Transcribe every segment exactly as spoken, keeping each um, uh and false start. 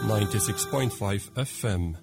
ninety-six point five F M.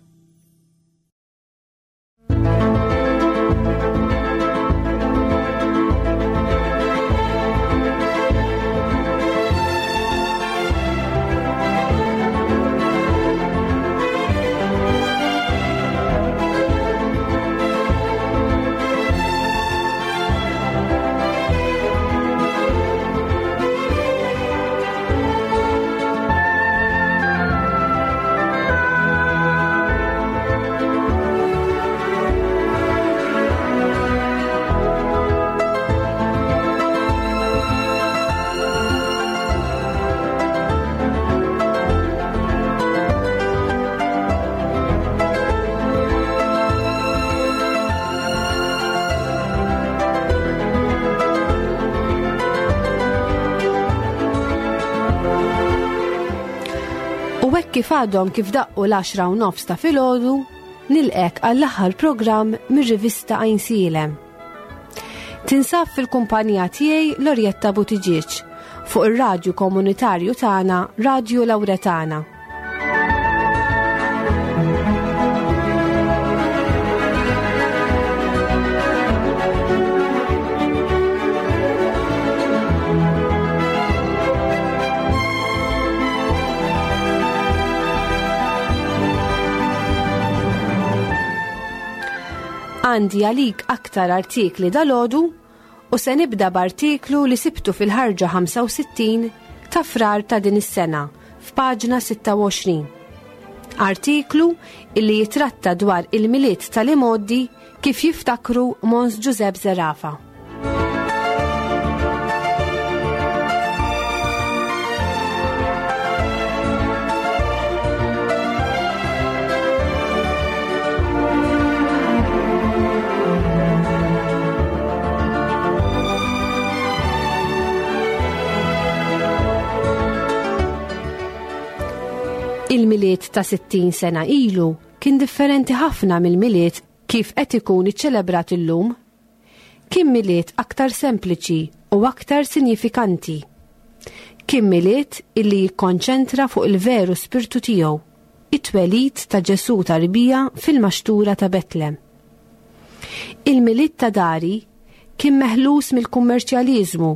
Kif għadhom kif daqqu l-għaxra u nofs ta' filgħodu, nilqek għall-aħħar programm mir-rivista Għajnsielem. Tinsab fil-kumpanija tiegħi Lorjetta Buttigieg fuq ir-radju komunitarju tagħna Radju Lawretana. Għandi għalik aktar artikli dal-għodu u se nibda b'artiklu li sibtu fil-ħarġa ħamsa u sittin ta' Frar ta' din is-sena f'paġna sitta u għoxrin. Artiklu illi jitratta dwar il-Milied tal-imgħoddi kif jiftakru Mons Giuseppe Zerafa. Il-Milied ta' sittin sena ilu kien differenti ħafna mill-Milied kif qed ikun iċċelebrat illum. Kien Milied aktar sempliċi u aktar sinjifikanti. Kien Milied illi jikkonċentra fuq il-veru spirtu tiegħu, it-twelid ta' Ġesù tarbija fil-maxtura ta' Betlem. Il-Milied ta' dari kien meħlus mill-kummerċjaliżmu,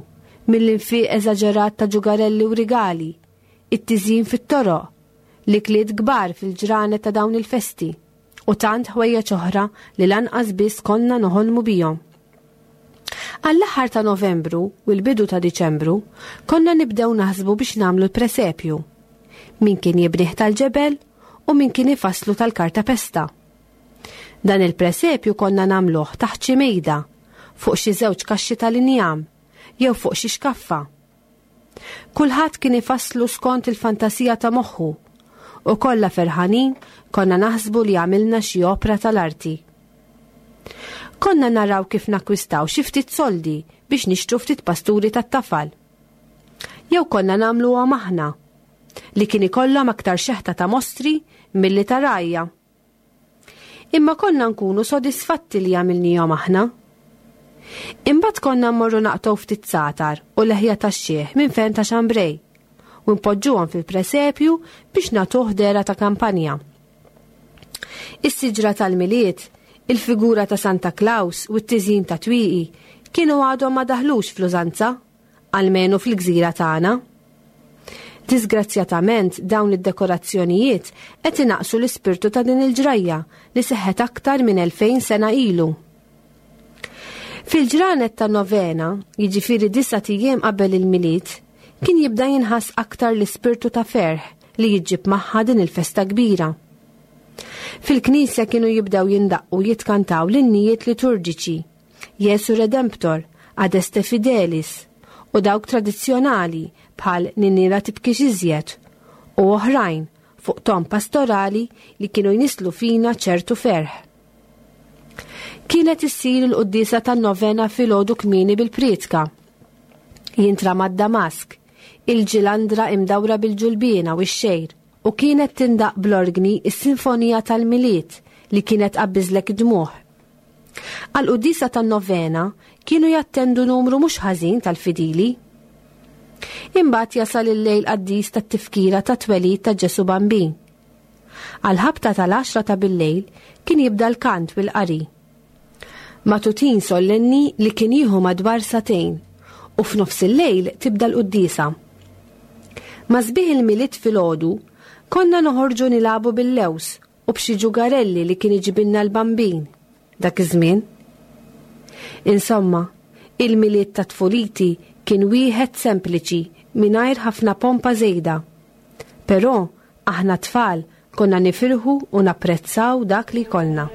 mill-infiq eżaġerat ta' ġugarelli u rigali, it-tiżjin fit-toroq, l-ikliet kbar fil-ġranet ta' dawn il-festi u tant ħwejjeġ oħra li lanqas biss konna noħolmu bihom. Għall-aħħar ta' Novembru u l-bidu ta' Diċembru konna nibdew naħsbu biex nagħmlu l-presepju. Min kien jibnih tal-ġebel u min kien ifasslu tal-karta pesta. Dan il-presepju konna nagħmluh taħt xi mejda, fuq xi żewġ kaxxi tal-injam jew fuq xi xkaffa. Kulħadd kien ifasslu skont il-fantasija ta' moħħu u kollha ferħanin konna naħsbu li għamilna xi opra tal-arti. Konna naraw kif nakkwistaw xi ftit soldi biex nixtru ftit pasturi tat-tafal. Jew konna nagħmluhom aħna, li kien ikollhom aktar xeħta ta' mostri milli ta' rajja. Imma konna nkunu sodisfatti li għamilnihom aħna. Imbagħad konna mmorru naqtgħu ftit satar u leħja tax-xiħ minn fejn ta' xambrej u npoġġuhom fil-presepju biex nagħtuh dehra ta' kampanja. Is-siġra tal-Milied, il-figura ta' Santa Claus u t-tiżjin ta' twieqi kienu għadhom ma daħlux fl-użanza, almenu fil-gżira tagħna. Disgrazzjatament dawn id-dekorazzjonijiet qed inaqsu l-ispirtu ta' din il-ġrajja li seħħet aktar minn elfejn sena ilu. Fil-ġranet ta' novena, jiġifieri disa' ijiem qabel il-Milied, kien jibda jinħass aktar l-ispirtu ta' ferħ li jiġġib magħha din il-festa kbira. Fil-knisja kienu jibdew jindaqqu jitkantaw l-innijiet liturġiċi, Jesu Redemptor, Adeste Fidelis, u dawk tradizzjonali bħal Ninira tibkix iżjed, u oħrajn fuq ton pastorali li kienu jnislu fina ċertu ferħ. Kienet issir il-quddiesa tan-novena filgħodu kmieni bil-prietka. Jintrama d-Damask, il-ġilandra imdawra bil-ġulbiena u x-xejr, u kienet tindaq bl-orgni is-sinfonija tal-Milied li kienet qabbiżlek id-dmugħ. Għal-quddiesa tan-novena kienu jattendu numru mhux ħażin tal-fidili. Imbagħad jasal il-lejl qaddis tat-tifkira ta' twelid ta' Ġesu Bambin. Għal-ħabta tal-għaxra ta' billejl kien jibda l-kant bil-qari. Matutin sollenni li kien jieħu madwar sagħtejn u f'nofs il-lejl tibda l-quddiesa. Ma' sbieħ il-Milied filgħodu konna noħorġu nilagħbu bil-lews u b'xi ġugarelli li kien iġibilna l-bambin dak iż-żmien. Insomma, il-Milied ta' tfuliti kien wieħed sempliċi mingħajr ħafna pompa żejda. Però aħna tfal konna nifirħu u napprezzaw dak li jkollna.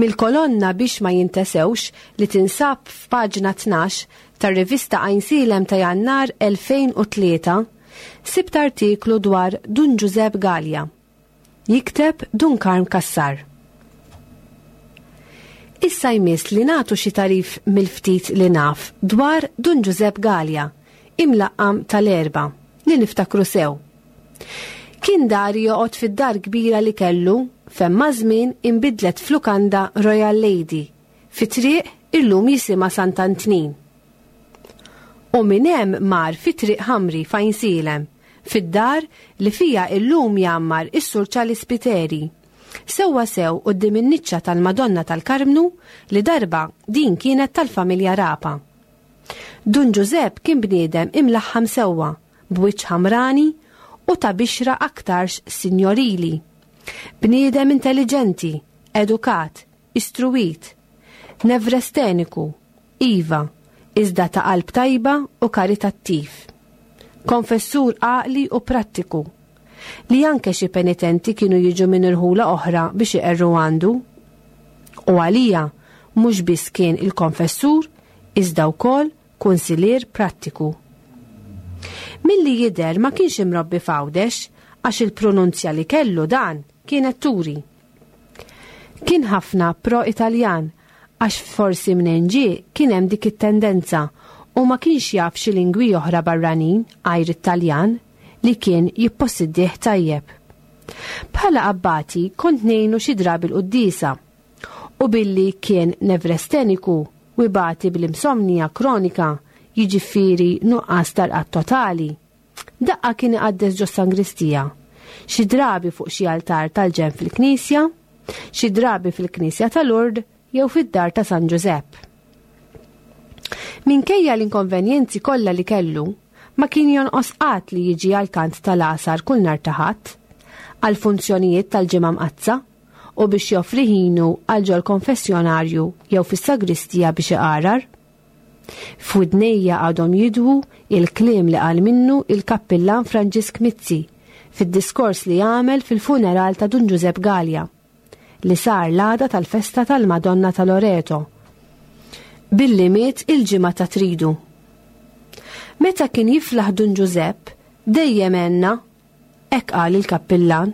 Mill-kolonna biex ma jintesewx li tinsab f'paġna tnax tar-rivista Għajnsielem ta' Jannar elfejn u tlieta, sibt artiklu dwar Dun Ġużepp Galea. Jikteb Dun Karm Cassar. Issa jmiss li nagħtu xi tarif mill-ftit li naf dwar Dun Ġużepp Galea, imlaqqam tal-Erbgħa, li niftakru sew. Kien dar joqgħod fid-dar kbira li kellu, fejn ma' żmien inbidlet f'lukanda Royal Lady, fi triq illum jisimha Sant'Antnin. U minn hemm mar fi triq Ħamri f'Għajnsielem, Fid-dar li fija illum jgħammar is-Sur Charles Spiteri, sewwa sew quddiem in-niċċa tal-Madonna tal-Karmnu li darba din kienet tal-familja Rapa. Dun Ġużepp kien bniedem imlaħħam sewwa, b'wiċċ ħamrani u ta' bixra aktarx sinjorili. Bniedem intelligenti, edukat, istruwit, nevresteniku, iva, iżda ta' qalb tajba u karitattiv. Konfessur għaqli u prattiku, li anke xi penitenti kienu jiġu minn irħula oħra biex iqerru għandu. U għalija mhux biss kien il-konfessur, iżda wkoll kunsilier prattiku. Milli jidher ma kienx imrobbi f'Għawdex għax il-pronunzja li kellu dan kienet turi. Kien ħafna pro-Italjan għax forsi minn ġie kien hemm dik it-tendenza u ma kienx jaf xi lingwi oħra barranin għajr it-Taljan li kien jippossidih tajjeb. Bħala abbati kont ngħinu xi drabi l-quddiesa u billi kien nevresteniku u ibati bl-insomnija kronika, jiġifieri nuqqas tal-qatt totali. Daqqa kien iqaddes ġo sangristija, xi drabi fuq xi altar tal-ġenb fil-knisja, xi drabi fil-knisja tal-Ord jew fid-dar ta' San Ġużepp. Minkejja l-inkonvenjenzi kollha li kellu, ma kien jonqos qatt li jiġi għal kant tal-għasar kull nhar ta' Ħadd, għal funzjonijiet tal-Ġimgħa Mqaddsa u biex joffri ħinu għal ġol konfessjonarju jew fis-sagristija biex iqarar. F'widnejja għadhom jidwu il-kliem li qal minnu il-kappillan Franġisk Mizzi fid-diskors li għamel fil-funeral ta' Dun Ġużepp Galea, li sar l-għada tal-festa tal-Madonna ta' Loreto, billi miet il-ġimgħa ta' Tridu. Meta kien jiflaħ Dun Ġużepp, dejjem għenna, hekk qal il-kappillan.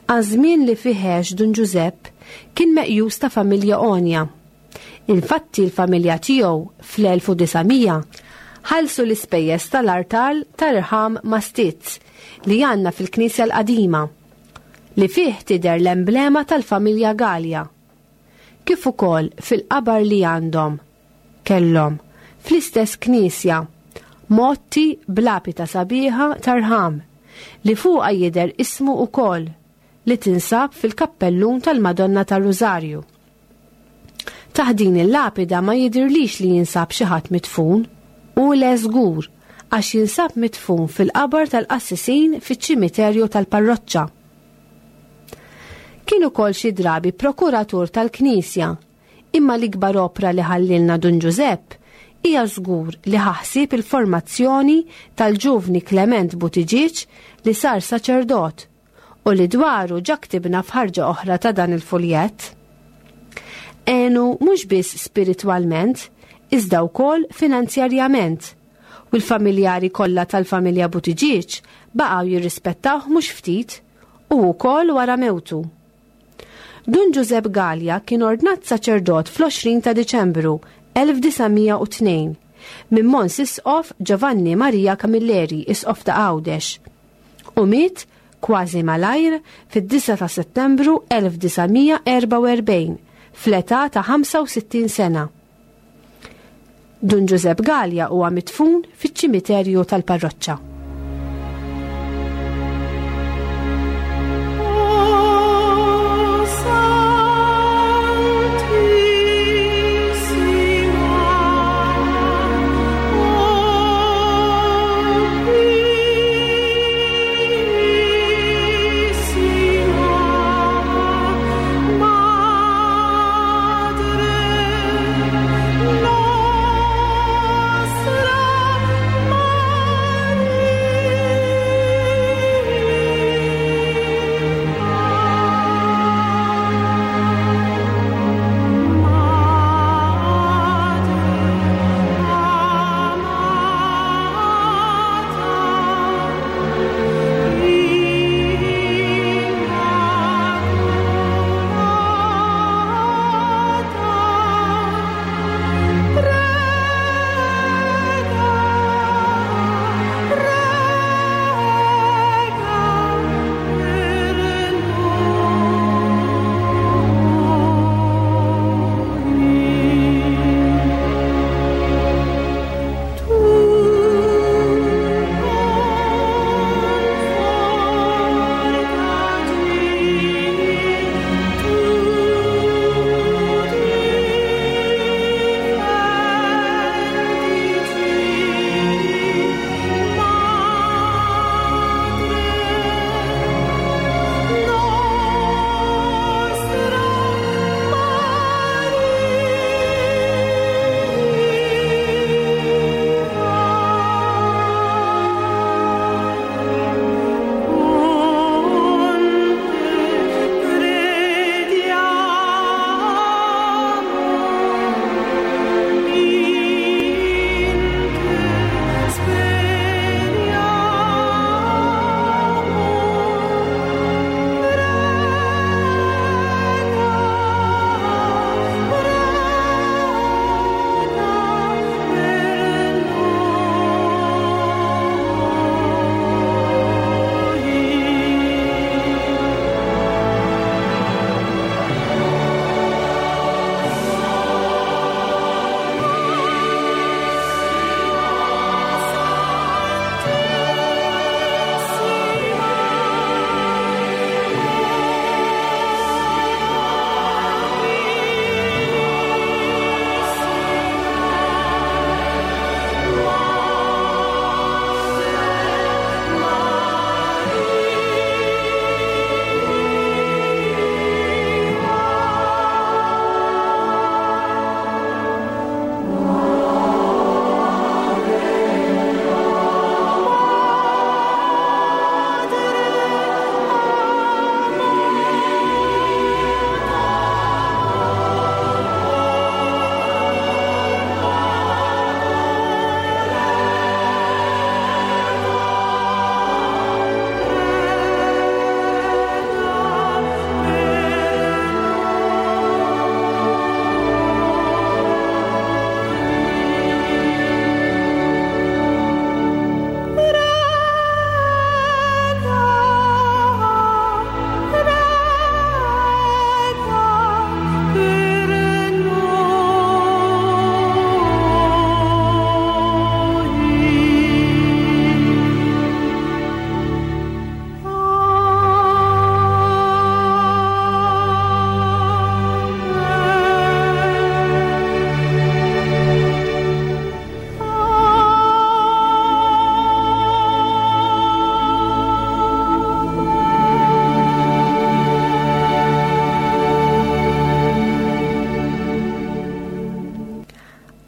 Għaż-żmien li fih għex Dun Ġużepp kien meqjus ta' familja għonja. Infatti l-familja tiegħu fl-elf u disa' mija ħallsu l-ispejjeż tal-artal tal-irħam mastizz li għandna fil-Knisja l-Qadima, li fih tidher l-emblema tal-familja Galea, kif ukoll fil-qabar li għandhom kellhom fl-istess knisja motti b'lapita sabiħa tarħam li fuqha jidher ismu ukoll, li tinsab fil-kappellun tal-Madonna tar-Rużarju. Taħt din il-lapida ma jidirlix li jinsab xi ħadd midfun, u le żgur għax jinsab midfun fil-qabar tal-qassisin fiċ-ċimiterju tal-parroċċa. Kien ukoll xi drabi prokuratur tal-Knisja, imma l-ikbar opra li ħallilna Dun Ġużepp hija żgur li ħaħsib il-formazzjoni tal-ġuvni Clement Buttigieg li sar saċerdot u li dwaru ġa ktibna f'ħarġa oħra ta' dan il-fuljett. Għenu mhux biss spiritwalment, iżda wkoll finanzjarjament, u l-familjari kollha tal-familja Buttigieg baqgħu jirrispettawh mhux ftit u wkoll wara mewtu. Dun Ġużepp Galea kien ordnat saċerdot fl-għoxrin ta' Diċembru elf disa' mija u tnejn minn Mons Isqof Giovanni Maria Camilleri, Isqof ta' Għawdex, u miet kważi malajr fid-disa ta' Settembru elf disa' mija erba' u erbgħin fl-età ta' ħamsa u sittin sena. Dun Ġużepp Galea huwa midfun fiċ-ċimiterju tal-parroċċa. Nostra Maria.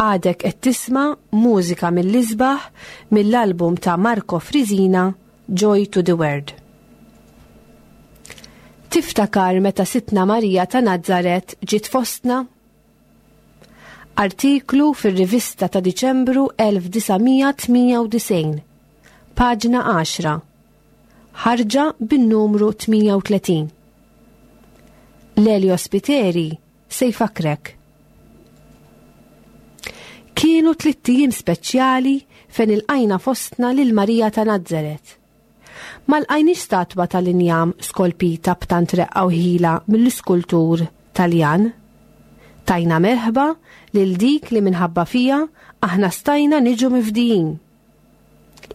Għadek qed tisma' mużika mill-isbaħ mill-album ta' Marco Frisina, Joy to the World. Tiftakar meta Sidtna Marija ta' Nazaret ġiet fostna? Artiklu fir-rivista ta' Diċembru elf disa' mija tmienja u disgħin, paġna għaxra, ħarġa bin-numru tmienja u tletin. Lelio Spiteri se jfakrek. Kienu tlitt ijiem speċjali fejn ilqajna fostna lil Marija ta' Nazaret. Ma lqajniex statwa tal-injam skolpita b'tant reqqa u ħila mill-iskultur Taljan. Tajna merħba lil dik li minħabba fija aħna stajna niġu mifdijin.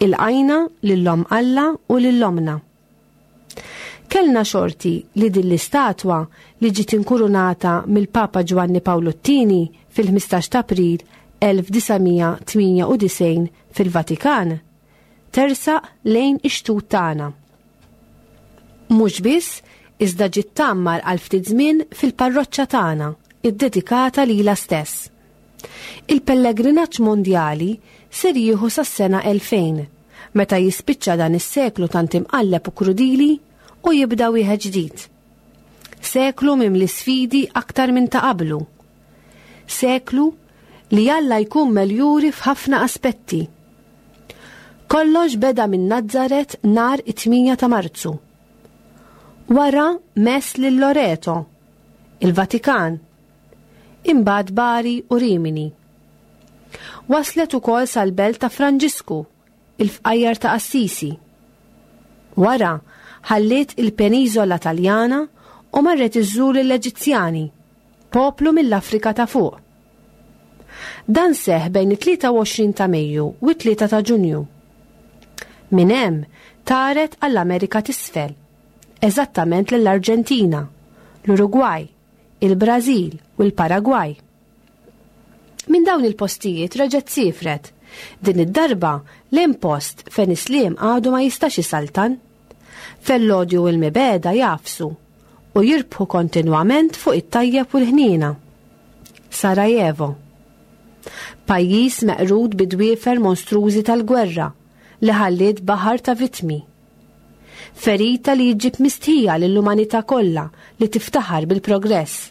Ilqajna lil Omm Alla u lil Ommna. Kellna xorti li din l-istatwa li ġiet inkurunata mill-Papa Ġwanni Pawlu t-Tieni fil-ħmistax ta' April elf disa' mija tmienja u disgħin fil-Vatikan tersaq lejn ix-xtut tagħna. Mhux biss, iżda ġiet tgħammar għal ftit żmien fil-parroċċa tagħna, iddedikata lilha stess. Il-pellegrinaġġ mondjali ser jieħu sas-sena elfejn, meta jispiċċa dan is-seklu tant imqalleb u krudili u jibda wieħed ġdid. Seklu mimli sfidi aktar minn ta' qablu. Seklu li Alla jkun meljuri f'ħafna aspetti. Kollox beda minn Nazzaret nhar it-tmienja ta' Marzu. Wara mess lil Loreto, il-Vatikan, imbagħad Bari u Rimini. Waslet ukoll sal-belt ta' Franġisku, il-fqajjar ta' Assisi. Wara ħalliet il-peniżola Taljana u marret iżżur l-Eġizzjani, poplu mill-Afrika ta' fuq. Dan seħ bejn it-tlieta u għoxrin ta' Mejju u t-tlieta ta' Ġunju. Minn hemm taret għall-Amerika t'Isfel, eżattament lill-Arġentina, l-Urugwaj, il-Brażil u l-Paragwaj. Minn dawn il-postijiet reġgħet sifret, din id-darba lejn post fejn is-sliem għadu ma jistax isaltan, fejn l-odju u l-mibegħda jagħfsu u jirbħu kontinwament fuq it-tajjeb u l-ħnina. Sarajevo. Pajjiż meqrud bid-dwiefer monstrużi tal-gwerra li ħalliet baħar ta' vitmi. Ferita li jġib mistħija lill-umanità kollha li tiftaħar bil-progress.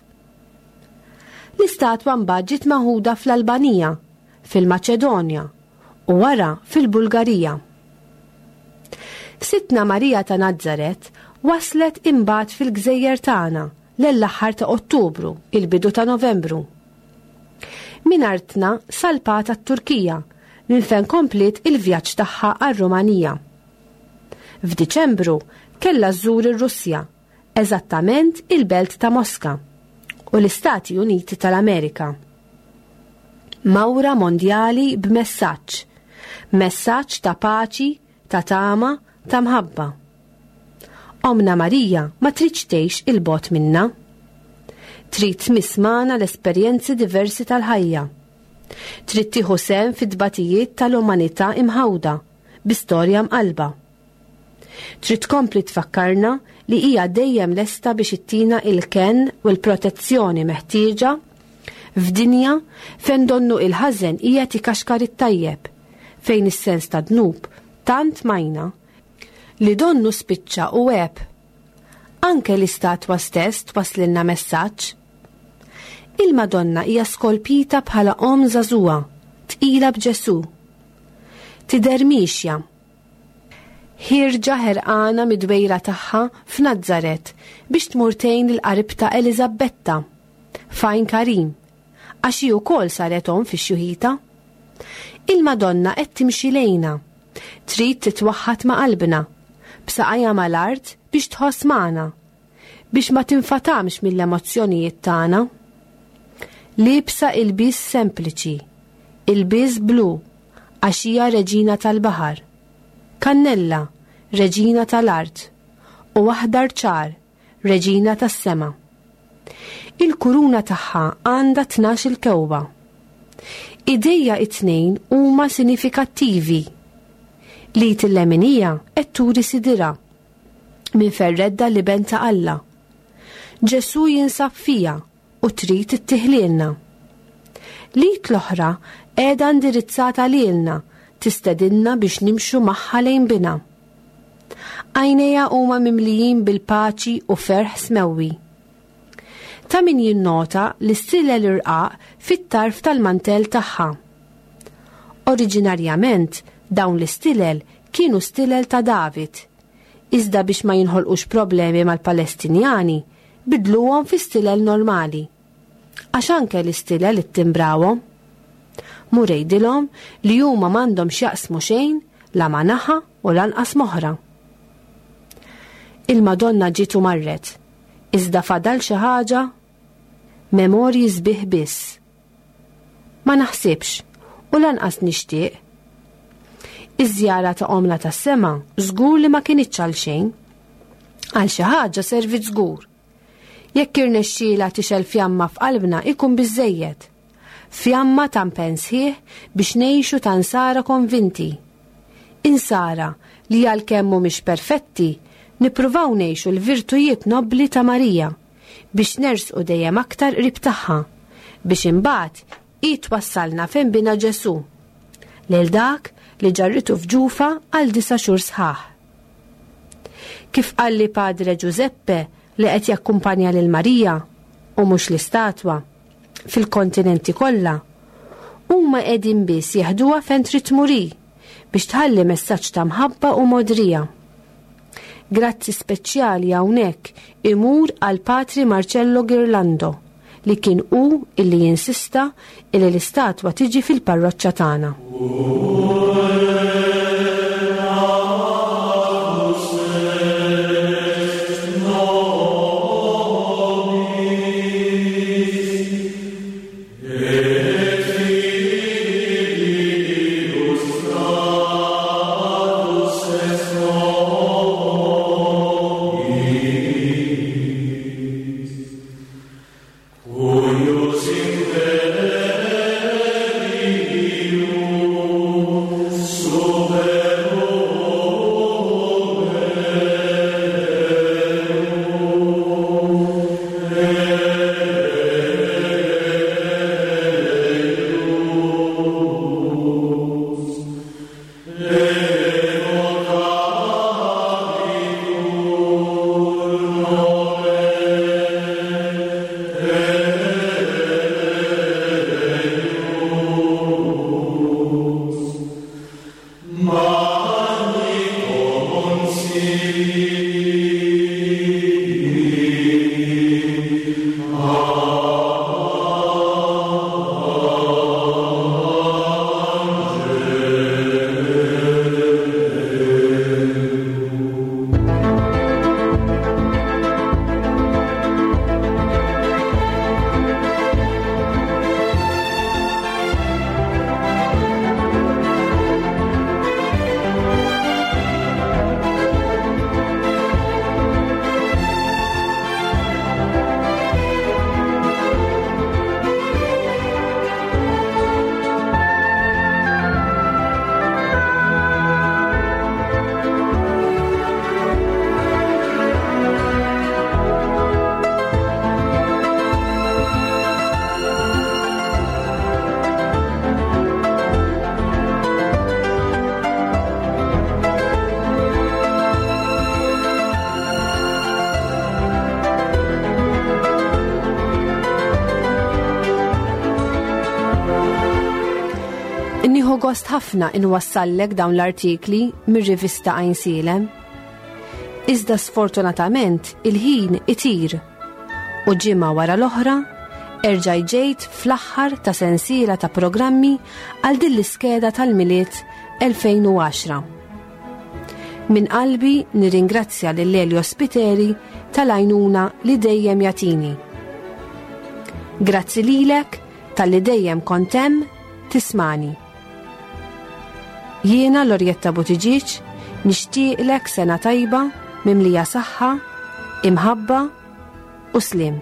L-istatwa mbagħad ġiet maħuda fl-Albanija, fil-Maċedonja u wara fil-Bulgarija. Sidtna Marija ta' Nazzaret waslet imbagħad fil-gżejjer tagħna l-aħħar ta' Ottubru, il-bidu ta' Novembru. Min artna salpat għat-Turkija, minn fejn kompliet il-vjaġġ tagħha għar-Rumanija. F'Diċembru kellha żżur ir-Russja, eżattament il-belt ta' Moska, u l-Istati Uniti tal-Amerika. Mawra mondjali b'messaġġ, messaġġ ta' paċi, ta' tama, ta' mħabba. Omna Marija ma tridx tgħix il-bogħod minna. Trid tmiss magħna l-esperjenzi diversi tal-ħajja. Trid tieħu sehem fit-tbatijiet tal-umanità imħawda bi storja mqalba. Trid tkompli tfakkarna li hija dejjem lesta biex ittina il-kenn u l-protezzjoni meħtieġa f'dinja fejn donnu il-ħażen qiegħed ikaxkar it-tajjeb, fejn is-sens ta' dnub tant majna li donnu spiċċa u għeb. Anke l-istatwa stess twaslilna messaġġ. Il-Madonna hija skolpita bħala om żagħżugħa, tqila b'Ġesu. Tidher miexja. Ħierġa ħerqana mid-dwejra tagħha f'Nazzaret biex tmur tgħin il-qaribta Eliżabetta, f'Għajn Karim, għax hi wkoll saret omm fix-xjuħija. Il-Madonna qed timxi lejna, trid titwaħħad ma' qalbna, b'saqajha mal-art biex tħoss magħna, biex ma tinfatamx mill-emozzjonijiet tagħna. Liebsa ilbies sempliċi, ilbies blu, għax hija reġina tal-baħar. Kannella, reġina tal-art, u aħdar ċar, reġina tas-sema. Il-kuruna tagħha għandha tnax il-kewba. Idejha it-tnejn huma sinifikattivi. Li til-leminija qed turi sidira minn ferredda l-iben ta' Alla. Ġesu jinsab fija u trid ittihlilna. L-id l-oħra qiegħda indirizzata lilna, tistedinna biex nimxu magħha lejn bina. Għajnejha huma mimlijin bil-paċi u ferħ smewwi. Ta' min jinnota l-istilel irqaq fit-tarf tal-mantell tagħha. Oriġinarjament dawn l-istilel kienu stilel ta' David, iżda biex ma jinħolqux problemi mal-Palestinjani, bidluhom fi stilel normali. Għax anke l-istilel ittimbrawhom. Mur għidilhom li huma m'għandhom x'jaqsmu xejn la ma' naħa u lanqas m'oħra. Il-Madonna ġiet u marret, iżda fadal xi ħaġa? Memorji sbieħ biss. Ma naħsibx u lanqas nixtieq. Iż-żjara ta' Omna tas-sema żgur li ma kinitx għal xejn. Għal xi ħaġa servit żgur. Jekk irnexxielha tixgħel fjamma f'qalbna ikun biżżejjed. Fjamma ta' impenn sħiħ biex ngħixu ta' nsara konvinti. Insara li għalkemm mhumiex perfetti, nippruvaw ngħixu l-virtujiet nobbli ta' Marija biex nersqu dejjem aktar qrib tagħha, biex imbagħad hi twassalna fejn bina Ġesù, lil dak li ġarritu f'ġufa għal disa' xhur sħaħ. Kif qalli Padre Giuseppe li qed jakkumpanja lil Marija u mhux l-istatwa fil-kontinenti kollha, huma qegħdin biss jeħduha fejn trid tmur hi biex tħalli messaġġ ta' mħabba u modrija. Grazzi speċjali hawnhekk imur għal Patri Marcello Ghirlando li kien hu illi jinsista illi l-istatwa tiġi fil-parroċċa tagħna. Nieħu gost ħafna inwassallek dawn l-artikli mir-rivista Għajnsielem. Iżda sfortunatament il-ħin itir u ġimgħa wara l-oħra erġa' ġejt fl-aħħar ta' sensiela ta' programmi għal din l-iskeda tal-Milied elfejn u għaxra. Min qalbi nirringrazzja lil Elio Spiteri tal-għajnuna li dejjem jagħtini. Grazzi lilek tal-li dejjem kont hemm tismani. Jiena Lorjetta Buttigieg nixtieqlek sena tajba mimlija saħħa, imħabba u slim.